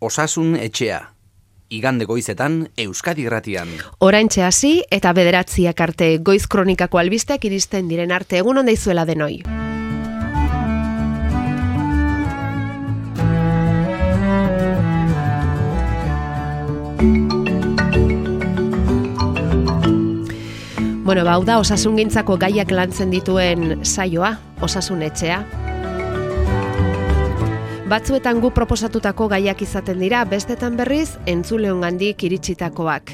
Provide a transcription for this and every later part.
Osasun etxea. Igande goizetan Euskadi Irratian. Oraintxe hasi eta 9 arte goiz kronikako albisteak iristen diren arte. Egun on daizuela denoi. Bueno, hau da osasungintzako gaiak lantzen dituen saioa, Osasun etxea. Batzuetan gu proposatutako gaiak izaten dira, bestetan berriz entzuleongandik iritsitakoak.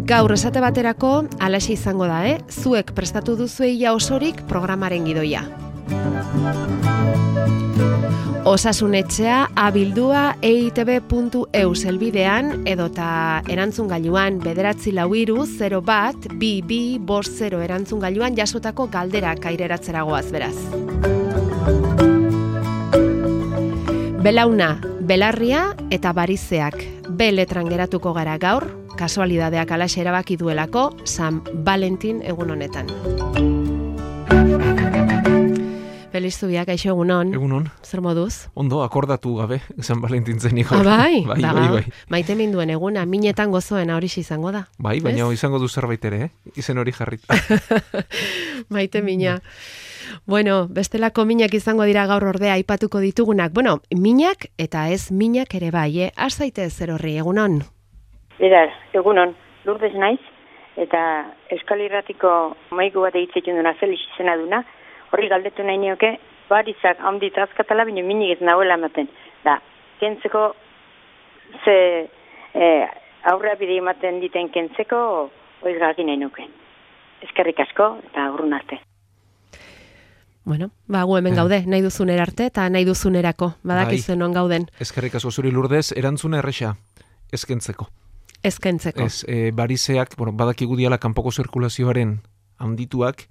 Gaur esate baterako halaxe izango da, Zuek prestatu duzue ia osorik programaren gidoia. Osasun etxea abildua eitb.eu zelbidean edota erantzungailuan 943-01-2250 erantzungailuan jasotako galderak aireratzeragoaz beraz. Belauna, belarria eta barizeak B letran geratuko gara gaur, kasualidadeak alaxe erabaki duelako San Valentin egun honetan. Feliz zubiak, aixo egunon. Egunon. Zer moduz? Ondo, akordatu gabe, San Valentin zeniko. Bai. Bai. Maite minduen eguna, minetan gozoena hori izango da. Bai, baina izango du zerbait ere, Izen hori jarrita. Maite mina. Bueno, bestelako minak izango dira gaur ordea aipatuko ditugunak. Bueno, minak eta ez minak ere bai, Has zaitez zer horri, egunon? Beraz, egunon, Lourdes naiz, eta Euskal Irratiko maiku bat egitzekin duna Felix izena duna, horri galdetu nahi nioke, barizak handit azkatala, baina minik ez nahuela ematen. Da, kentzeko, aurrea bide ematen diten kentzeko, oiz gaki nahi nuke. Eskerrik asko, eta urrun arte. Bueno, gu hemen gaude, nahi duzunera arte eta nahi duzunerako, badakizu non gauden. Eskerrik asko zuri Lourdes, erantzuna erresa, ezkentzeko. Ezkentzeko. Barizeak, badakigu diala kanpoko zirkulazioaren handituak,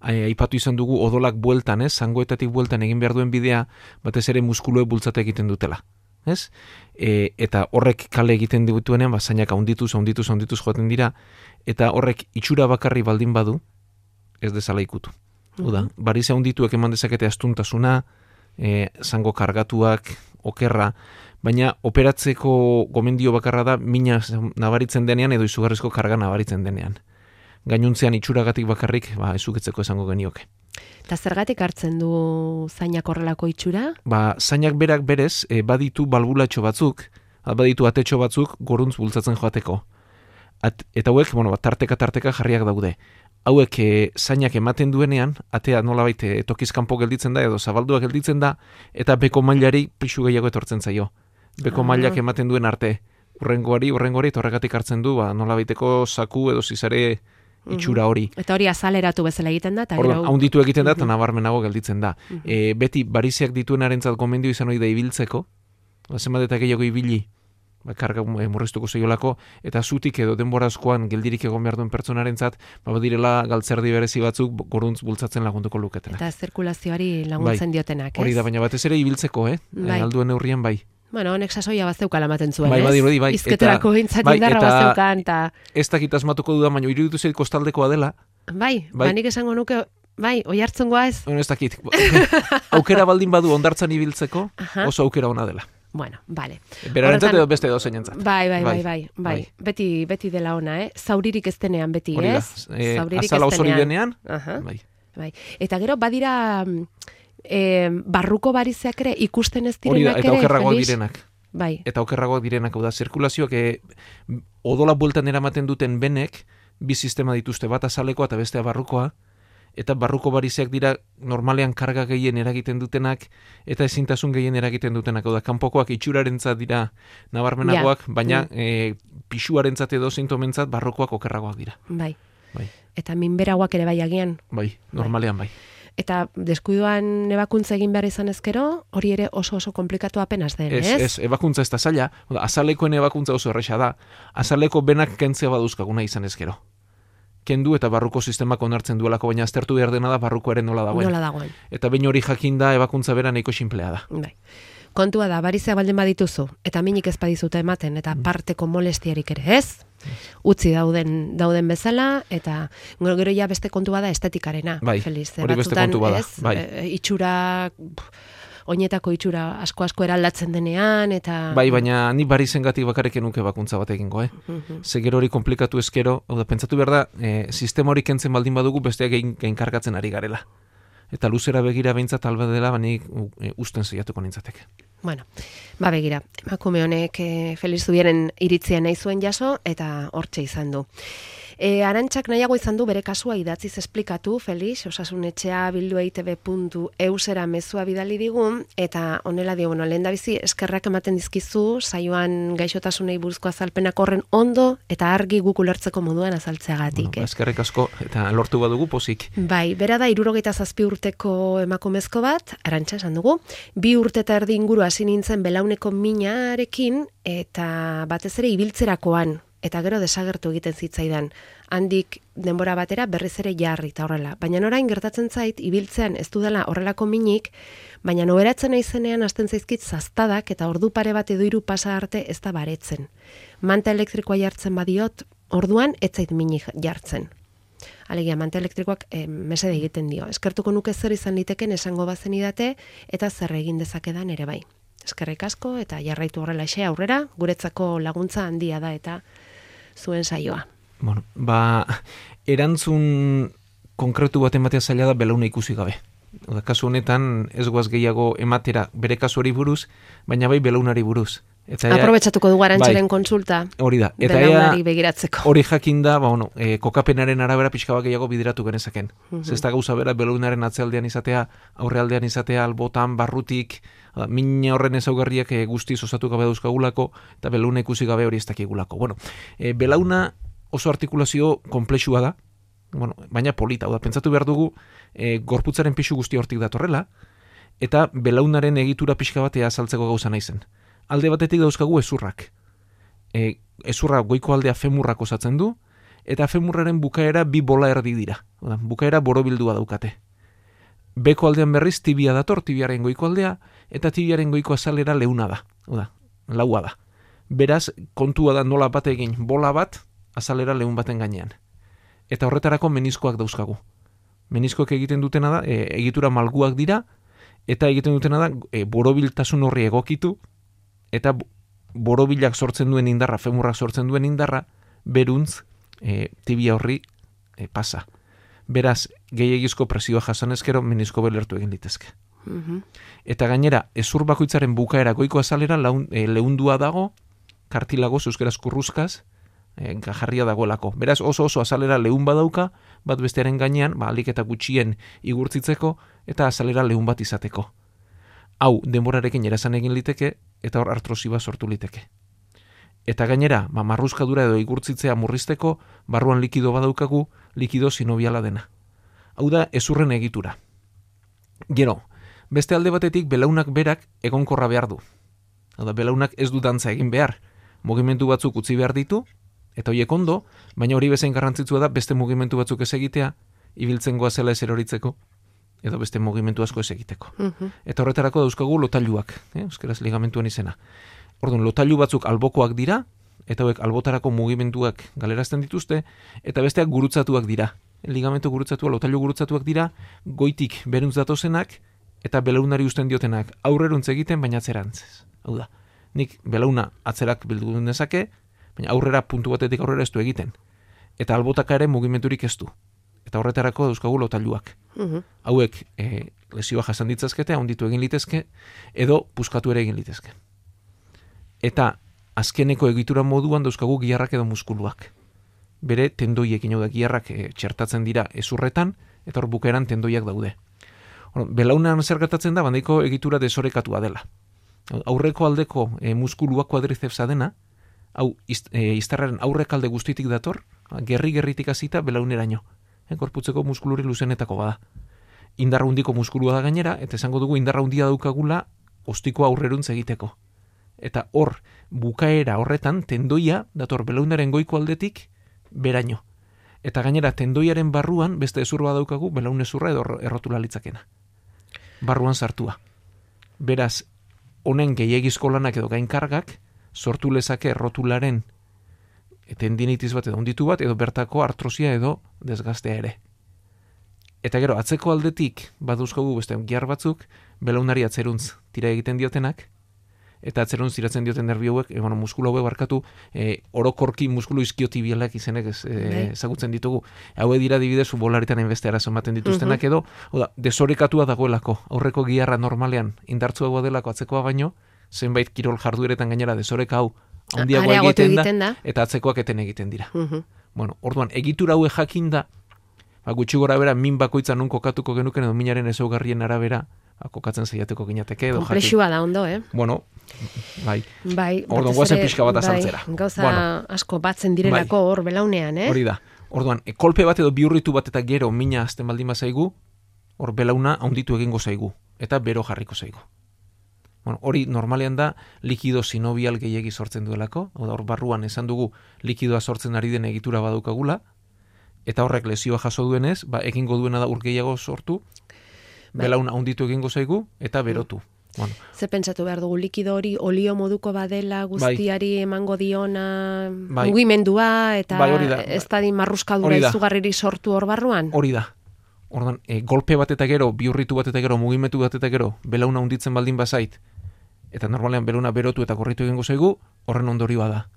aipatu izan dugu odolak bueltan, zangoetatik bueltan egin behar duen bidea, batez ere muskuluek bultzate egiten dutela. Eta horrek kale egiten dituenean, zainak handituz joaten dira, eta horrek itxura bakarri baldin badu, ez dezala ikutu. Barize handituek eman dezakete astuntasuna, zango kargatuak, okerra, baina operatzeko gomendio bakarra da mina nabaritzen denean edo izugarrizko karga nabaritzen denean. Gainuntzean itxuragatik bakarrik, ezuketzeko esango genioke. Eta zergatik hartzen du zainak horrelako itxura? Zainak berak berez, baditu balbulatxo batzuk, baditu atetxo batzuk goruntz bultzatzen joateko. Eta hauek, tarteka jarriak daude. Hauek zainak ematen duenean, atea nolabait tokizkanpo gelditzen da edo zabaldua gelditzen da, eta beko mailari pixu gehiago etortzen zaio. Beko mailak ematen duen arte, urrengoari, eta horregatik hartzen du, nolabaiteko zaku edo zizare itxura hori. Eta hori azaleratu bezala egiten da? Haunditu egiten da, eta nabarmenago gelditzen da. Beti barizeak dituenarentzat gomendio izan hori da ibiltzeko, zenbat eta gehiago ibili, karga murriztuko zeiolako, eta zutik edo denborazkoan geldirik egon behar duen pertsonarentzat, badirela galtzerdi berezi batzuk goruntz bultzatzen lagunduko luketena. Eta zirkulazioari laguntzen diotenak, Hori da, baina batez ere ibiltzeko, alduen neurrien bai. Bueno, honek sasoia bazeukala ematen zuen, Bai. Izketerako gintzat indarra bazeukan, eta... Ez dakit asmatuko dudan, baina iruditu zeit kostaldekoa dela. Bai, nik esango nuke, oi hartzungoa ez? Ez dakit. Aukera baldin badu ondartzan ibiltzeko, oso aukera ona dela. Bueno, bale. Berarentzat edo beste edo zeinentzat. Bai. Beti dela ona, Zauririk ez denean beti, ez? Azala osori denean. Bai. Eta gero, badira... barruko barizeak ere ikusten ez direnak ere, eta okerragoak direnak. Bai. Eta okerragoak direnak, zirkulazioak odola bueltan eramaten duten benek, bi sistema dituzte, bat azalekoa eta bestea barrukoa, eta barruko barizeak dira normalean karga gehien eragiten dutenak, eta ezintasun gehien eragiten dutenak, kanpokoak itxurarentzat dira nabarmenagoak, baina pisuarentzat edo sintomentzat barrukoak okerragoak dira. Bai. Eta minberagoak ere bai agian. Bai, normalean bai. Eta deskuiduan ebakuntza egin behar izan ezkero, hori ere oso komplikatu apenas den, ez? Ez, ebakuntza ez da zaila, azalekoen ebakuntza oso erresa da, azaleko benak kentzea baduzkaguna izan ezkero. Kendu eta barruko sistemak onartzen duelako, baina aztertu behar dena da barrukoaren nola dagoen. Eta behin hori jakinda ebakuntza bera nahiko sinplea da. Bai. Kontua da, barizea baldin badituzu, eta minik ez badizuta ematen, eta parteko molestiarik ere ez, utzi dauden bezala, eta gero ja beste kontua da estetikarena. Bai, Feliz, hori beste kontua da. Itxura oinetako itxura asko eraldatzen denean, eta... Bai, baina ni barizengatik bakarrik nuke bakuntza bat egingo, Ze gero hori komplikatu eskero, hau da, pentsatu behar da, sistema hori kentzen baldin badugu besteak gainkargatzen ari garela. Eta luzera begira behintzat alba dela, banik usten zeiatuko nintzateke. Bueno, begira, emakume honek Felix Zubieren iritzia nahi zuen jaso, eta hortxe izan du. Arantxak nahiago izan du bere kasua idatziz esplikatu, Felix, osasunetxea bildueitb.eusera mezua bidali digun, eta honela dio, lehendabizi eskerrak ematen dizkizu, saioan gaixotasunei buruzko azalpenak horren ondo, eta argi guk ulertzeko moduan azaltzeagatik. Eskerrik asko, eta lortu badugu pozik. Bai, bera da 67 urteko emakumezko bat, Arantxa esan dugu, 2 urte eta erdi inguru hasi nintzen belauneko minarekin, eta batez ere ibiltzerakoan, eta gero desagertu egiten zitzaidan. Handik denbora batera berriz ere jarri eta horrela. Baina orain gertatzen zait, ibiltzean ez dudala horrelako minik, baina noberatzen naizenean hasten zaizkit zaztadak eta ordu pare bat edo 3 pasa arte ez da baretzen. Manta elektrikoa jartzen badiot, orduan ez zait minik jartzen. Alegia, manta elektrikoak mesede egiten dio. Eskertuko nuke zer izan liteken esango bazen idate, eta zer egin dezakedan ere bai. Eskerrik asko, eta jarraitu horrela aurrera, guretzako laguntza handia da, eta zuen saioa. Bueno, erantzun konkretu bat ematea zaila da belauna ikusi gabe. Oda, kasu honetan ez goaz gehiago ematera bere kasu hori buruz, baina bai belaunari buruz. Aprobetxatuko dugu Arantxaren kontsulta. Hori da. Eta belaunari begiratzeko. Hori jakin da, kokapenaren arabera pixka bat gehiago bideratu genezaken. Ez da gauza bera belaunaren atzealdean izatea, aurrealdean izatea, albotan, barrutik, min horren ezaugarriak guztiz osatu gabe dauzkagulako, eta belauna ikusi gabe hori ez dakigulako. Belauna oso artikulazio komplexua da, baina polita. Pentsatu behar dugu, gorputzaren pixu guzti hortik datorrela, eta belaunaren egitura pixka batea azaltzeko gauza naizen. Alde batetik dauzkagu ezurrak. Ezurra goiko aldea femurrak osatzen du, eta femurraren bukaera 2 bola erdi dira. Bukaera borobildua daukate. Beko aldean berriz tibia dator, tibiaren goiko aldea, eta tibiaren goiko azalera leuna da. Laua da. Beraz, kontua da nola bat egin bola bat, azalera leun baten gainean. Eta horretarako meniskoak dauzkagu. Meniskoak egiten dutena da, egitura malguak dira, eta egiten dutena da, borobiltasun horri egokitu, eta borobilak sortzen duen indarra, femurrak sortzen duen indarra, beruntz tibia horri pasa. Beraz, gehiagizko presioa jasan ezkero, menisko belertu egin litezke. Eta gainera, ezur bakoitzaren bukaera goiko azalera leundua dago, kartilagoz, euskeraz kurruzkaz, jarria dagoelako. Beraz, oso azalera leun badauka, bat bestearen gainean, alik eta gutxien igurtzitzeko, eta azalera leun bat izateko. Hau, denborarekin erazan egin liteke, eta hor artrosiba sortu liteke. Eta gainera, marruzkadura edo igurtzitzea murrizteko, barruan likido badaukagu, likido sinobiala dena. Hau da, ezurren egitura. Gero, beste alde batetik, belaunak berak egonkorra behar du. Hau da, belaunak ez du dantza egin behar. Mugimendu batzuk utzi behar ditu, eta horiek ondo, baina hori bezain garrantzitsua da, beste mugimendu batzuk ez egitea, ibiltzen goazela ez eroritzeko, edo beste mugimendu asko ez egiteko. Eta horretarako dauzkagu lotailuak, euskeraz ligamentuan izena. Orduan, lotailu batzuk albokoak dira, eta hauek albotarako mugimenduak galerazten dituzte, eta besteak gurutzatuak dira. Ligamentu gurutzatua, lotailu gurutzatuak dira, goitik beruntz datozenak, eta belaunari usten diotenak aurreruntz egiten, baina atzerantz. Hau da, nik belauna atzerak bildu dezake, baina aurrera puntu batetik aurrera ez du egiten. Eta albotaka ere mugimendurik ez du. Eta horretarako dauzkagu lotailuak. Hauek lesioa jasan ditzazkete, handitu egin litezke, edo puskatu ere egin litezke. Eta azkeneko egitura moduan dauzkagu giharrak edo muskuluak. Bere tendoiekin, hau da, giharrak txertatzen dira ezurretan, eta hor bukaeran tendoiak daude. Belaunan zer gertatzen da, bandaiko egitura desorekatua dela. Aurreko aldeko muskuluak kuadrizepsa dena, hau iztarraren aurrekalde guztitik dator, gerri-gerritik hasita belauneraino. Gorputzeko muskuluri luzenetako bada. Indarra hundiko muskulua da gainera, eta esango dugu indarra hundia daukagula ostikoa aurreruntz egiteko. Eta hor, bukaera horretan, tendoia dator belaunaren goiko aldetik beraino. Eta gainera, tendoiaren barruan, beste ezurra daukagu, belaun ezurra edo errotula litzakena. Barruan sartua. Beraz, honen gehiagizko lanak edo gainkargak, sortu lezake errotularen tendinitis bat edo onditu bat, edo bertako artrosia edo desgaztea ere. Eta gero, atzeko aldetik, baduzkogu beste gihar batzuk, belaunari atzeruntz tira egiten diotenak, eta atzeruntz tiratzen dioten nerbi hauek, muskulu hauek barkatu, orokorki muskulu iskiotibialak izenek ezagutzen ditugu. Haue dira adibidez futbolaritan hainbeste arazo ematen dituztenak edo, desorekatua dagoelako, aurreko giharra normalean indartsuagoa delako atzekoa baino, zenbait kirol jardueretan gainera desoreka hau handiagoa egiten da, eta atzekoak eten egiten dira. Orduan, egitura haue jakin da, gutxi gora bera, min bakoitza nun kokatuko genuken edo minaren ezaugarrien arabera, kokatzen zaiateko ginateke edo jakin. Komplexua da ondo, Bai. Orduan, guazen pixka bat azaltzera. Gauza asko batzen direlako hor belaunean, Hori da. Orduan, kolpe bat edo biurritu bat eta gero mina azten baldin bazaigu, hor belauna haunditu egingo zaigu, eta bero jarriko zaigu. Hori normalean da likido sinobial gehiegi sortzen duelako, hor barruan esan dugu likidoa sortzen ari den egitura badukagula, eta horrek lesioa jaso duenez, egingo duena da ur gehiago sortu, belauna haunditu egingo zaigu, eta berotu. Ze pentsatu behar dugu, likido hori olio moduko badela guztiari emango diona mugimendua, eta ez da marruskadura izugarriri sortu hor barruan? Hori da. Ordan, golpe bat eta gero, biurritu bat eta gero, mugimendu bat eta gero, belauna hunditzen baldin bazait, eta normalean belauna berotu eta gorritu egingo zaigu, horren ondorioa da.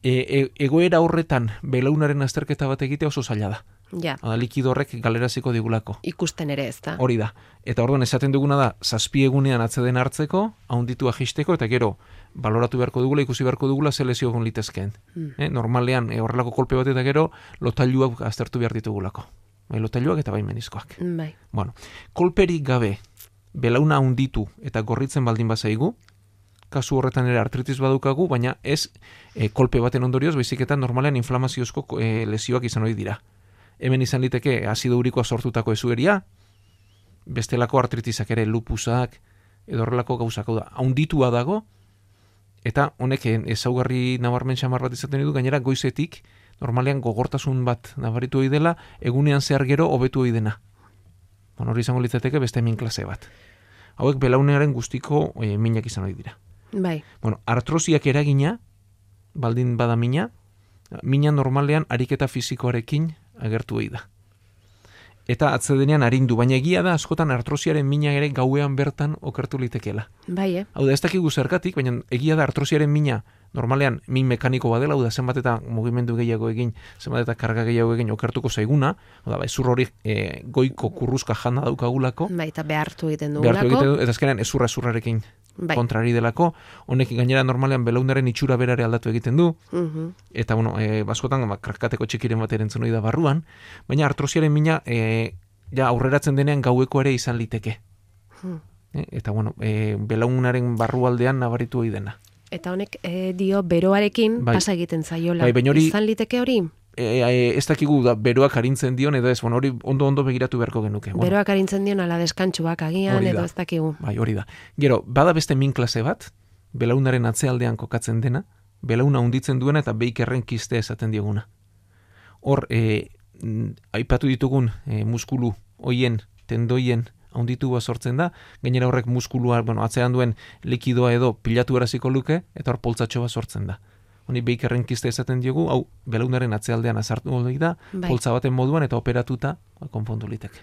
Egoera horretan belaunaren azterketa bat egitea oso zaila da. Ja. Likido horrek galeraziko digulako. Ikusten ere ez da. Hori da. Eta orduan esaten duguna da, 7 egunean atzeden hartzeko, haunditua jisteko, eta gero, baloratu beharko dugula, ikusi beharko dugula, ze lesio egon litezkeen. Normalean, horrelako kolpe bat eta gero, lotailuak aztertu behar ditugulako. Lotailuak eta bai menizkoak. Bai. Kolperik gabe, belauna haunditu eta gorritzen baldin bazaigu, kasu horretan ere artritis badukagu, baina ez kolpe baten ondorioz, baizik eta normalean inflamaziozko lesioak izan hori dira. Hemen izan liteke azido urikoa sortutako ezueria, bestelako artritisak ere lupusak, edo horrelako gauzak da. Haunditua dago, eta honek ezaugarri nabarmen xamar bat izaten du, gainera goizetik, normalean gogortasun bat nabaritu hori dela, egunean zehar gero hobetu hori dena. Hori izango litzateke beste min klase bat. Hauek belaunearen guztiko minak izan hori dira. Bai. Artrosiak eragina, baldin bada mina normalean ariketa fisikoarekin agertu hori da. Eta atzedenean arindu, baina egia da askotan artrosiaren mina ere gauean bertan okertu litekeela. Bai, Hau da, ez dakigu zergatik, baina egia da artrosiaren mina normalean min mekaniko badela, hau da, zenbat eta mugimendu gehiago egin, zenbat eta karga gehiago egin okertuko zaiguna, hau da, ezur hori goiko kurruzka jana daukagulako. Bai, eta behartu egiten dugulako. Eta azkenean ezurrarekin kontrari delako, honek gainera normalean belaunaren itxura berare aldatu egiten du, eta baskotan krakateko txikiren bat erentzun hori da barruan, baina artrosiaren mina aurreratzen denean gaueko ere izan liteke. Eta belaunaren barrualdean nabaritu hori dena. Eta honek dio beroarekin pasa egiten zaiola. Izan liteke hori? Ez dakigu beroak arintzen dion, edo ez, hori ondo begiratu beharko genuke. Beroak arintzen dion ala deskantxuak agian, edo ez dakigu. Bai, hori da. Gero, bada beste min klase bat, belaunaren atzealdean kokatzen dena, belauna hunditzen duena eta beikerren kiste esaten dioguna. Hor, aipatu ditugun muskulu hoien, tendoien haunditua sortzen da, gainera horrek muskulua, atzean duen likidoa edo pilatu eraziko luke, eta hor poltzatxo bat sortzen da. Honi beikerren kiste esaten diogu, hau belaunaren atzealdean azartu hori da, poltza baten moduan eta operatuta konpondu liteke.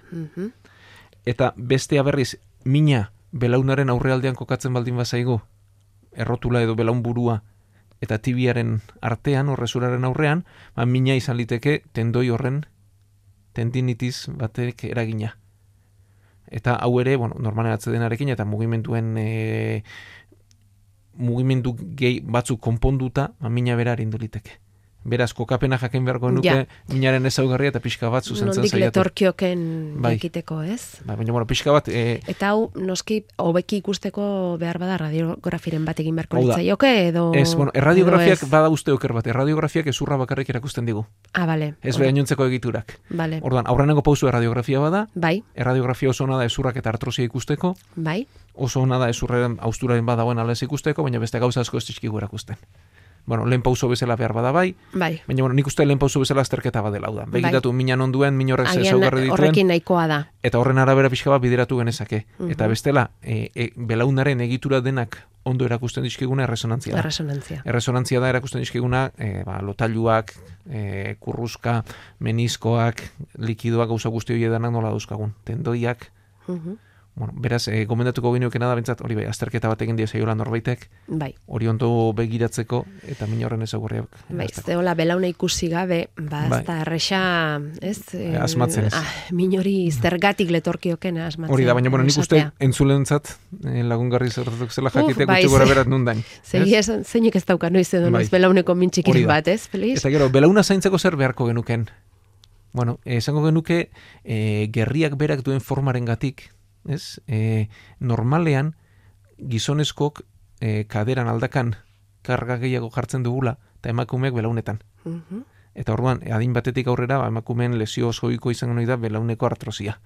Eta bestea berriz, mina belaunaren aurrealdean kokatzen baldin bazaigu, errotula edo belaun burua eta tibiaren artean, horrezuraren aurrean, mina izan liteke tendoi horren tendinitis batek eragina. Eta hau ere, normalen atzedenarekin eta mugimendu gehi batzuk konponduta, mina bera arindu liteke. Beraz, kokapena jakin beharko nuke, minaren ezaugarria eta pixka bat zuzentzen zaiatu. Nondik letorkioken ekiteko, ez? Baina, pixka bat... Eta hau, noski, hobeki ikusteko behar bada radiografiren bat egin beharko litzaioke, edo... Ez, erradiografiak bada uste oker bat, erradiografiak ezurra bakarrik erakusten digu. Bale. Ez gainontzeko egiturak. Bale. Orduan, aurrenengo pauzu erradiografia bada, bai. Erradiografia oso ona da ezurrak eta artrosia ikusteko, bai. Oso ona da ezurraren austuraren badagoen ala ez ikusteko, baina beste gauza asko ez dizkigu erakusten. bueno, lehen pauso bezala behar bada bai. Bai. Baina, bueno, nik uste lehen pauso bezala azterketa badela hau da. Begiratu minan onduen, min horrek zezaugarri dituen. Horrekin nahikoa da. Eta horren arabera pixka bat bideratu genezake. Eta bestela, belaunaren egitura denak ondo erakusten dizkiguna erresonantzia da. Erresonantzia da erakusten dizkiguna lotailuak, kurruska, meniskoak, likidoak, gauza guzti hori edanak nola dauzkagun. Tendoiak. Bueno, beraz, gomendatuko gineukena da bentsat, hori bai, azterketa bat egin diozaiola norbaitek, bai. Hori ondo begiratzeko, eta min horren ezagurriak. Bai, zehola belauna ikusi gabe, ez da erresa, ez? Asmatzen ez. Min hori zergatik letorkiokena asmatzen. Hori da, baina, bueno, nik uste entzulentzat, lagungarri zertatuk zela jakitea gutxi gora berat nundain. Zeinik ez dauka noiz edo noiz belauneko mintxikiren bat, ez, Feliz? Eta gero, belauna zaintzeko zer beharko genuken? Bueno, esango genuke, gerriak berak duen formaren gatik, ez? Normalean gizonezkok kaderan aldakan karga gehiago jartzen dugula eta emakumeak belaunetan. Eta orduan, adin batetik aurrera emakumeen lesio osoiko izango nahi da belauneko artrosia.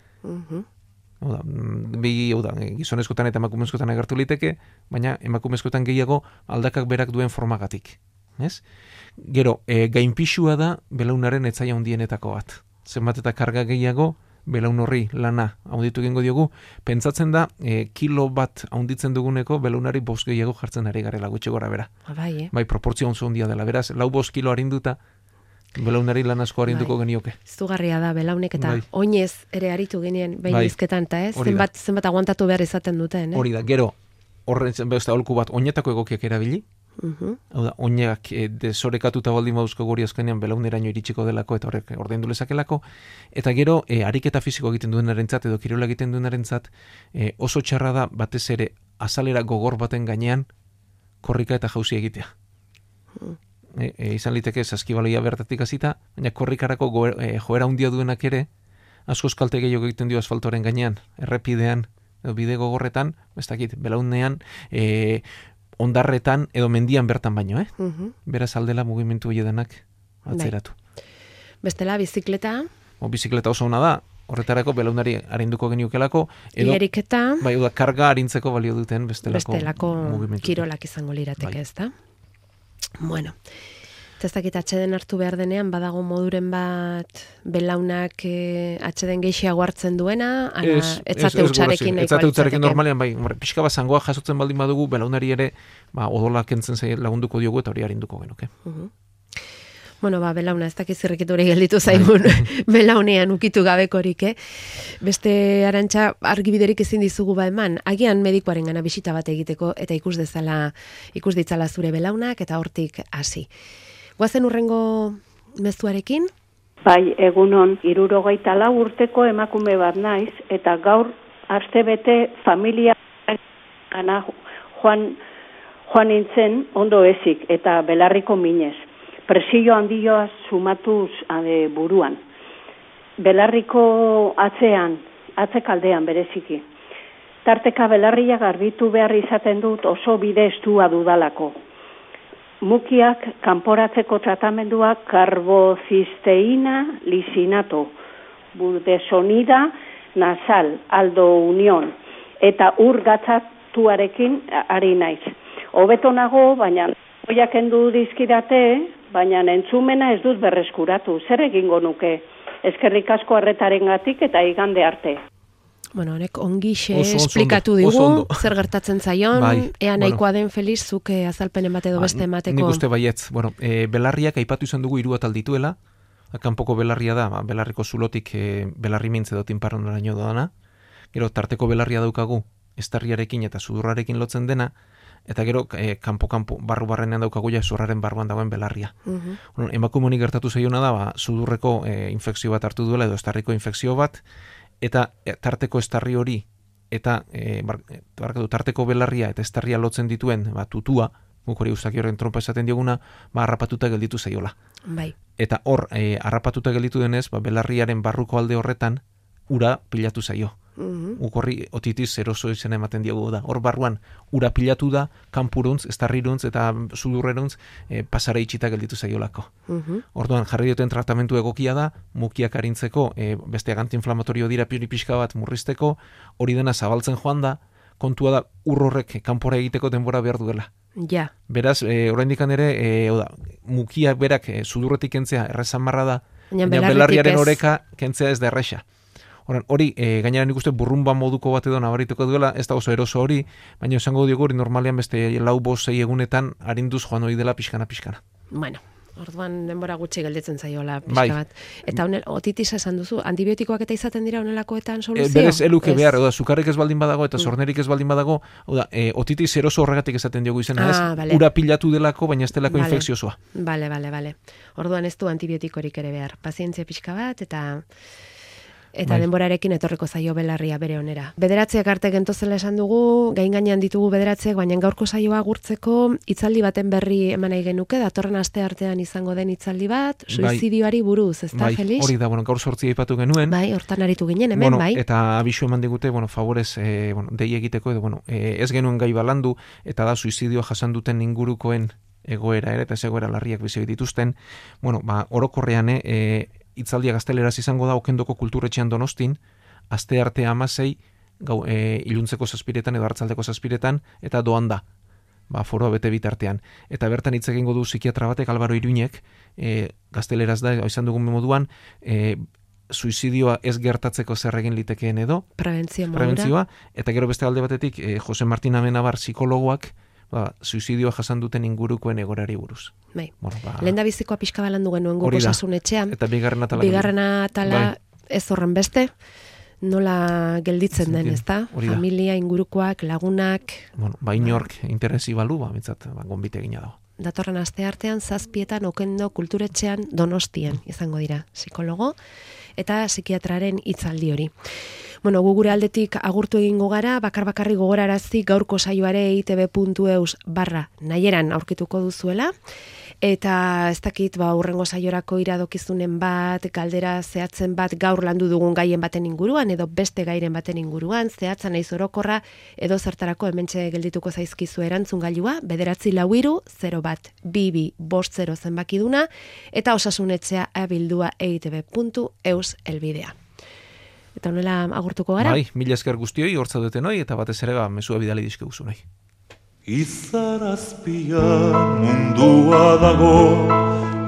Gizonezkotan eta emakumezkotan agertu liteke, baina emakumezkotan gehiago aldakak berak duen formagatik. Ez? Gero, gainpixua da belaunaren etzaia handienetako bat. Zenbat eta karga gehiago, belaun horri lana haunditu egingo diogu, pentsatzen da kilo bat haunditzen duguneko belaunari 5 gehiago jartzen ari garela gutxi gora bera. Bai, proportzio oso handia dela, beraz, 4-5 kilo arinduta, belaunari lan asko arinduko genioke. Zugarria da belaunek eta oinez ere aritu genien behin izketan, eta zenbat aguantatu behar izaten duten. Hori da, gero, horren beste aholku bat, oinetako egokiak erabili, hau da, oinak desorekatuta baldin bauzko guri azkenean belauneraino iritsiko delako eta horrek ordaindu lezakelako, eta gero ariketa fisiko egiten duenarentzat edo kirola egiten duenarentzat oso txarra da batez ere azalera gogor baten gainean korrika eta jauzi egitea. Izan liteke saskibaloia bertatik hasita, baina korrikarako joera handia duenak ere askoz kalte gehiago egiten dio asfaltoren gainean, errepidean edo bide gogorretan, ez dakit, belaunean ondarretan edo mendian bertan baino, Beraz aldela mugimendu hiedenak atzeratu. Bestela, bizikleta? Bizikleta oso ona da, horretarako belaunari arinduko geniokelako, edo igeriketa, bai, karga arintzeko balio duten bestelako mugimendu. Kirolak izango lirateke, ez da? Bueno, ez dakit atxeden hartu behar denean, badago moduren bat belaunak atxeden gehiago hartzen duena, etzate utxarekin nahikoa. Etzate utxarekin normalean, bai, pixka bat zangoa jasotzen baldin badugu, belaunari ere odolak entzen lagunduko diogu eta hori arinduko genuke. Bueno, belauna, ez dakiz zirrikiture gelditu zaigun belaunean ukitu gabekorik, Beste Arantxa argibiderik ezin dizugu eman, agian medikoaren gana bisita bat egiteko eta ikus ditzala zure belaunak eta hortik hasi. Guazen urrengo mezuarekin? Bai, egunon, 74 urteko emakume bat naiz, eta gaur astebete familia gana joan nintzen ondo ezik, eta belarriko minez. Presio handioa sumatuz buruan. Belarriko atzekaldean bereziki. Tarteka belarria garbitu behar izaten dut oso bide estua dudalako. Mukiak kanporatzeko tratamenduak karbozisteina lisinato, budesonida nasal, aldo union, eta ur gatzatuarekin ari naiz. Hobeto nago, baina oiak endu dizkidate, baina entzumena ez dut berreskuratu. Zer egingo nuke? Eskerrik asko arretarengatik eta igande arte. Bueno, honek ongixe esplikatu digu, zer gertatzen zaion, ea nahikoa den Feliz, zuk azalpenen bat edo beste emateko. Nik uste baietz, belarriak aipatu izan dugu 3 atal dituela, kanpoko belarria da, belarriko zulotik belarri mintze edo tinparronaraino doana, gero tarteko belarria daukagu, estarriarekin eta sudurrarekin lotzen dena, eta gero kanpo barru-barrenean daukagu ja zurraren barruan dagoen belarria. Emakumeoni gertatu zaiona da, sudurreko infekzio bat hartu duela edo estarriko infekzio bat, eta tarteko estarri hori eta tarteko belarria eta estarria lotzen dituen tutua, guk hori uzaki horren trompa esaten dioguna, harrapatuta gelditu zaiola. Bai. Eta hor, harrapatuta gelditu denez, belarriaren barruko alde horretan ura pilatu zaio. Guk horri otitis eroso izena ematen diogu da. Hor barruan ura pilatu da, kanpuruntz, estarriruntz eta sudurreruntz pasara itxita gelditu zaiolako. Orduan jarri duten tratamentu egokia da, mukiak arintzeko, beste antiinflamatorio dira pixka bat murrizteko, hori dena zabaltzen joan da, kontua da horrek kanpora egiteko denbora behar duela. Ja. Beraz, oraindik ere, mukia berak sudurretik kentzea errezamarra da, baina belarriaren oreka kentzea ez da erresa. Hori, gainera nik uste burrumba moduko bat edo nabarituko duela, ez da oso eroso hori, baina esango diogu hori normalean beste 4-5 egunetan arinduz joan hori dela pixkana. Bueno, orduan denbora gutxi gelditzen zaiola pixka bai. bat. Eta otitisa esan duzu, antibiotikoak eta izaten dira honelakoetan soluzio? Berez eluke behar, sukarrik ez baldin badago eta zornerik ez baldin badago, otitis eroso horregatik esaten diogu izena, ez? Ura pilatu delako, baina ez delako infekziosoa. Bale. Orduan ez du antibiotikorik ere behar. Pazientzia pixka bat eta denborarekin etorriko zaio belarria bere onera. Bederatziak arte gentozela esan dugu, gainean ditugu bederatziak, baina gaurko saioa agurtzeko hitzaldi baten berri eman nahi genuke, datorren aste artean izango den hitzaldi bat, suizidioari buruz, ezta, Felix? Hori da, gaur 8 aipatu genuen. Hortan aritu ginen, hemen, bai. Eta abisu eman digute, favorez, dei egiteko, edo, ez genuen gai balandu, eta da suizidioa jasan duten ingurukoen egoera, eta ez egoera larriak bizi dituzten, orokorrean, hitzaldia gazteleraz izango da Okendoko kulturetxean Donostin, aste arte 16, iluntzeko 7 edo hartzaldeko 7 eta doan da, foroa bete bitartean. Eta bertan hitz egingo du psikiatra batek, Albaro Iruñek, gazteleraz da, izan dugun moduan, suizidioa ez gertatzeko zer egin litekeen edo, prebentzioa, eta gero beste alde batetik, Jose Martin Amenabar psikologoak, suizidioa jasan duten ingurukoen egorari buruz. Bai. Lehen da bizikoa pixka balandu genuen guk osasun etxean. Eta bigarrena atala ez horren beste, nola gelditzen den, ezta? Familia, ingurukoak, lagunak. Inork interesi balu, gonbite egina dago. Datorren aste artean, 7 Okendo kulturetxean Donostien izango dira, psikologo eta psikiatraren hitzaldi hori. Gu gure aldetik agurtu egingo gara, bakarri gogorarazi gaurko saioare eitb.eus/nahieran aurkituko duzuela, eta ez dakit, hurrengo saiorako iradokizunen bat, galdera zehatzen bat gaur landu dugun gaien baten inguruan, edo beste gairen baten inguruan, zehatza naiz orokorra, edo zertarako hementxe geldituko zaizkizu erantzun gailua, 944-2250 zenbakiduna, eta osasunetxea abildua eitb.eus elbidea. Eta honela agurtuko gara? Bai, mila esker guztioi, hortza duten hoi, eta batez ere mesua bidali dizke guzu nahi. Izarazpian mundua dago,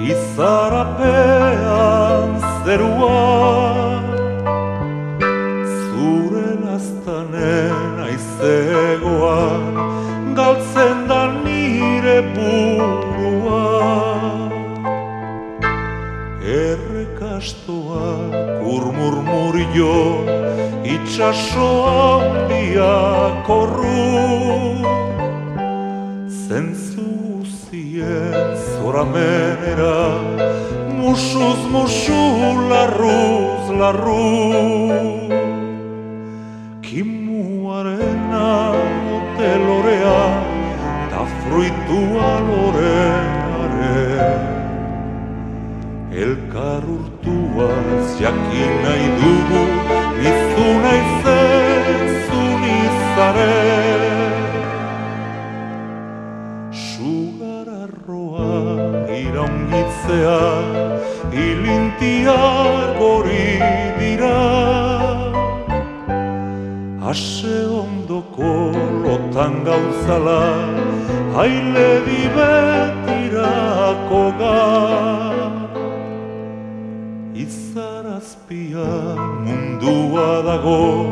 izarapean zerua, zure laztanen aizegoan, galtzen da nire burua. Errekastoak urmurmurio, itxasoa handia korru, zentzu zien zoramenera, musuz musu, larruz larru. Kimuarena otelorea, ta fruitua loreare. Elkar urtuaz jakin nahi dugu, nizu naizen zunizaren. Sugararroa iraungitzea, ilintiak hori dira. Ase ondoko lotan gauzala, haile dibetirako gara. Izarazpian mundua dago,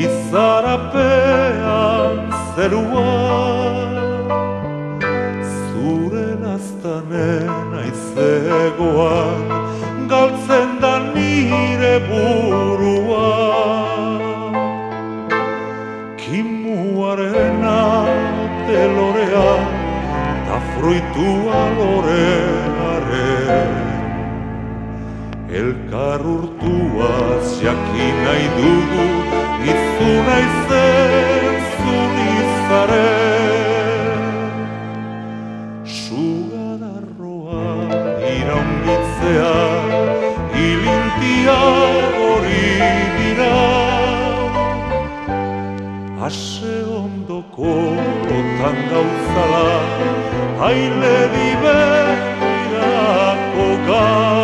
izarapean zerua, zure laztanen aizegoan, galtzen da nire burua. Kimuarena telorea, ta fruitua loreare. Elkar urtuaz jakin nahi dugu, nizu naizen zunizaren. Sugararroa iraungitzea, ilintia hori dira. Ase ondoko lotan gauzala, haile dibetirako gara.